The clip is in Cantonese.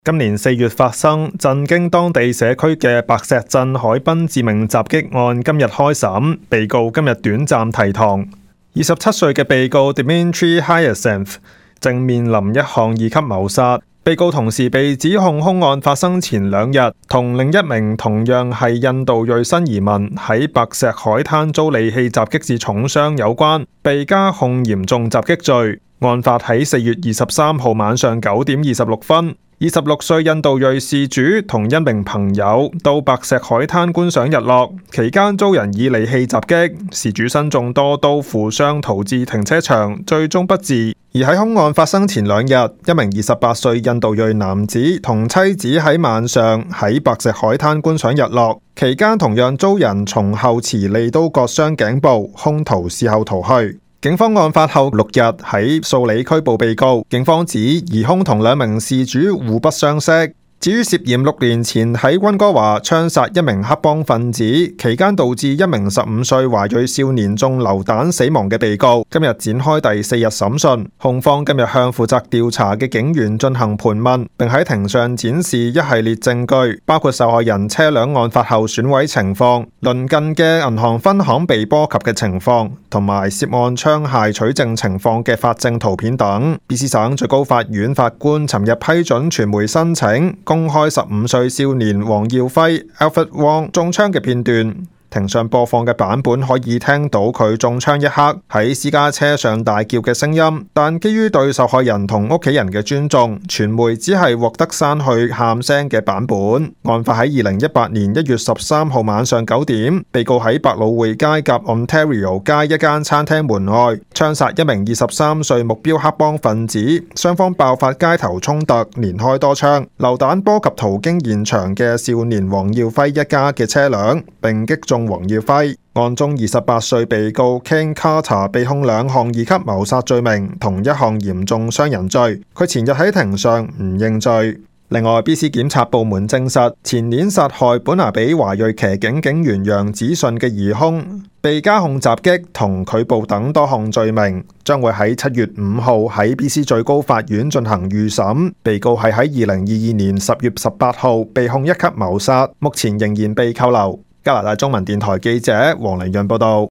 今年4月發生震驚當地社區嘅白石鎮海濱致命襲擊案，今日開審，被告今日短暫提堂。27歲嘅被告 Dmitry Hyacinth 正面臨一項2級謀殺。被告同時被指控兇案發生前2日，同另一名同樣係印度裔新移民喺白石海灘遭利器襲擊致重傷有關，被加控嚴重襲擊罪。案發喺4月23號晚上9點26分。26歲印度裔事主同一名朋友到白石海灘觀賞日落，期間遭人以利器襲擊，事主身中多刀，負傷逃至停車場，最終不治。而喺兇案發生前2日，一名28歲印度裔男子同妻子喺晚上喺白石海灘觀賞日落，期間同樣遭人從後持利刀割傷頸部，兇徒事後逃去。警方案發後6日喺素里拘捕被告，警方指疑兇同2名事主互不相識。至於涉嫌6年前喺溫哥華槍殺一名黑幫分子，期間導致一名15歲華裔少年中流彈死亡嘅被告，今日展開第4日審訊。控方今日向負責調查嘅警員進行盤問，並喺庭上展示一系列證據，包括受害人車輛案發後損毀情況、鄰近嘅銀行分行被波及嘅情況，同埋涉案槍械取證情況嘅法證圖片等。BC 省最高法院法官尋日批准傳媒申請公開15歲少年黃耀輝 Alfred Wong 中槍嘅片段。庭上播放嘅版本可以聽到佢中槍一刻喺私家車上大叫嘅聲音，但基於對受害人同屋企人嘅尊重，傳媒只係獲得刪去喊聲嘅版本。案發喺2018年1月13號晚上9點，被告喺百老匯街夾 Ontario 街一間餐廳門外槍殺一名23歲目標黑幫分子，雙方爆發街頭衝突，連開多槍，流彈波及途經現場嘅少年黃耀輝一家嘅車輛，並擊中黃耀輝。案中28歲被告 Ken Carter 被控2項2級謀殺罪名同1項嚴重傷人罪，佢前日喺庭上唔認罪。另外 BC 檢察部門證實，前年殺害本拿比華裔騎警警員楊子信嘅疑兇被加控襲擊同拒捕等多項罪名，將會喺7月5號喺 BC 最高法院進行預審。被告係喺2022年10月18號被控1級謀殺，目前仍然被扣留。加拿大中文電台記者黃麗潤報道。